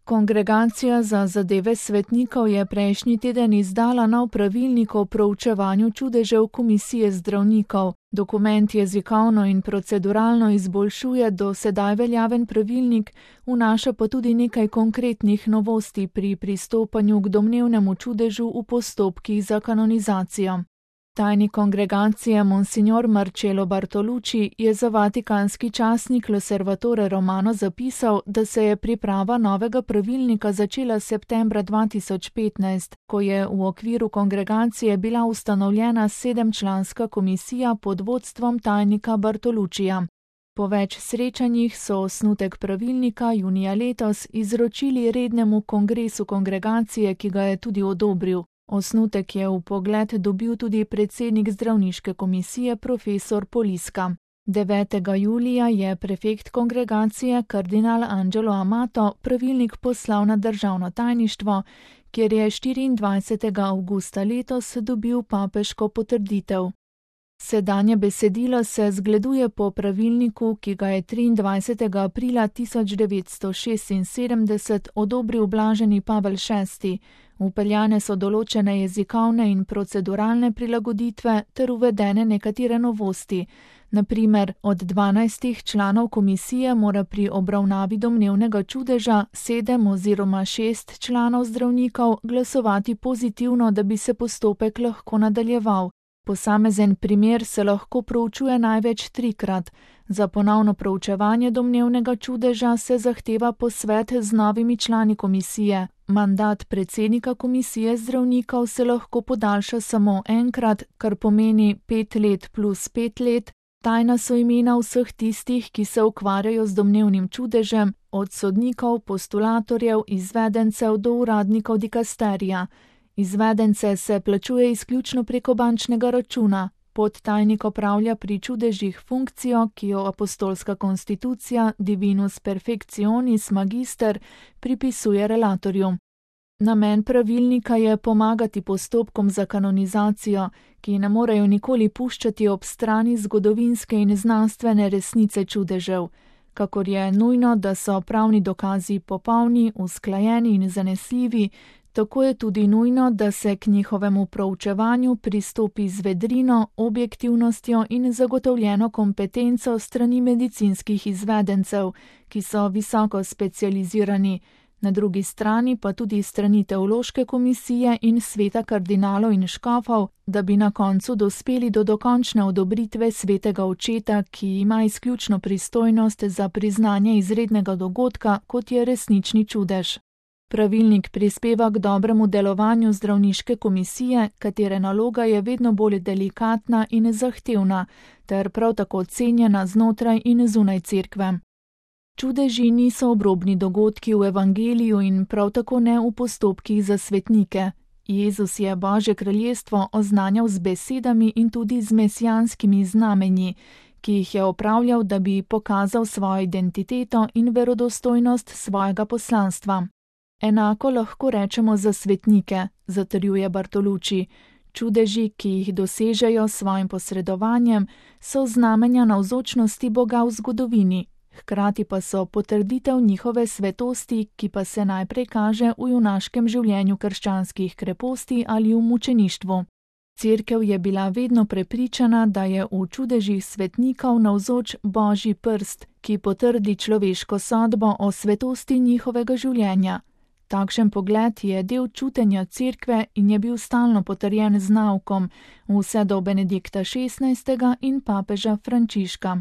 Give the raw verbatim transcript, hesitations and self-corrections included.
Kongregacija za zadeve svetnikov je prejšnji teden izdala nov pravilnik o proučevanju čudežev komisije zdravnikov. Dokument jezikovno in proceduralno izboljšuje do sedaj veljaven pravilnik, vnaša pa tudi nekaj konkretnih novosti pri pristopanju k domnevnemu čudežu v postopkih za kanonizacijo. Tajnik kongregacije Monsignor Marcello Bartolucci je za vatikanski časnik L'Osservatore Romano zapisal, da se je priprava novega pravilnika začela septembra dva tisoč petnajst, ko je v okviru kongregacije bila ustanovljena sedemčlanska komisija pod vodstvom tajnika Bartoluccija. Po več srečanjih so osnutek pravilnika junija letos izročili rednemu kongresu kongregacije, ki ga je tudi odobril. Osnutek je v pogled dobil tudi predsednik zdravniške komisije profesor Poliska. devetega julija je prefekt kongregacije kardinal Angelo Amato pravilnik poslal na državno tajništvo, kjer je štiriindvajsetega avgusta letos dobil papeško potrditev. Sedanje besedilo se zgleduje po pravilniku, ki ga je triindvajsetega aprila tisoč devetsto šestinsedemdeset odobril blaženi Pavel šesti. Vpeljane so določene jezikovne in proceduralne prilagoditve ter uvedene nekatere novosti. Na primer, od dvanajstih članov komisije mora pri obravnavi domnevnega čudeža sedem oziroma šest članov zdravnikov glasovati pozitivno, da bi se postopek lahko nadaljeval. Posamezen primer se lahko proučuje največ trikrat. Za ponovno proučevanje domnevnega čudeža se zahteva posvet z novimi člani komisije. Mandat predsednika komisije zdravnikov se lahko podaljša samo enkrat, kar pomeni pet let plus pet let. Tajna so imena vseh tistih, ki se ukvarjajo z domnevnim čudežem, od sodnikov, postulatorjev, izvedencev do uradnikov dikasterija. Izvedence se plačuje izključno preko bančnega računa. Podtajnik opravlja pri čudežih funkcijo, ki jo apostolska konstitucija Divinus Perfectionis Magister pripisuje relatorju. Namen pravilnika je pomagati postopkom za kanonizacijo, ki ne morejo nikoli puščati ob strani zgodovinske in znanstvene resnice čudežev. Kakor je nujno, da so pravni dokazi popolni, usklajeni in zanesljivi, tako je tudi nujno, da se k njihovemu proučevanju pristopi z vedrino, objektivnostjo in zagotovljeno kompetenco strani medicinskih izvedencev, ki so visoko specializirani, na drugi strani pa tudi strani teološke komisije in sveta kardinalov in škofov, da bi na koncu dospeli do dokončne odobritve svetega očeta, ki ima izključno pristojnost za priznanje izrednega dogodka, kot je resnični čudež. Pravilnik prispeva k dobremu delovanju zdravniške komisije, katere naloga je vedno bolj delikatna in zahtevna, ter prav tako cenjena znotraj in zunaj cerkve. Čudeži niso obrobni dogodki v evangeliju in prav tako ne v postopkih za svetnike. Jezus je Božje kraljestvo oznanjal z besedami in tudi z mesijanskimi znamenji, ki jih je opravljal, da bi pokazal svojo identiteto in verodostojnost svojega poslanstva. Enako lahko rečemo za svetnike, zatrjuje Bartolucci. Čudeži, ki jih dosežejo s svojim posredovanjem, so znamenja navzočnosti Boga v zgodovini, hkrati pa so potrditev njihove svetosti, ki pa se najprej kaže v junaškem življenju krščanskih kreposti ali v mučeništvu. Cerkev je bila vedno prepričana, da je v čudežih svetnikov navzoč Božji prst, ki potrdi človeško sodbo o svetosti njihovega življenja. Takšen pogled je del čutenja cerkve in je bil stalno potrjen z naukom vse do Benedikta šestnajstega in papeža Frančiška.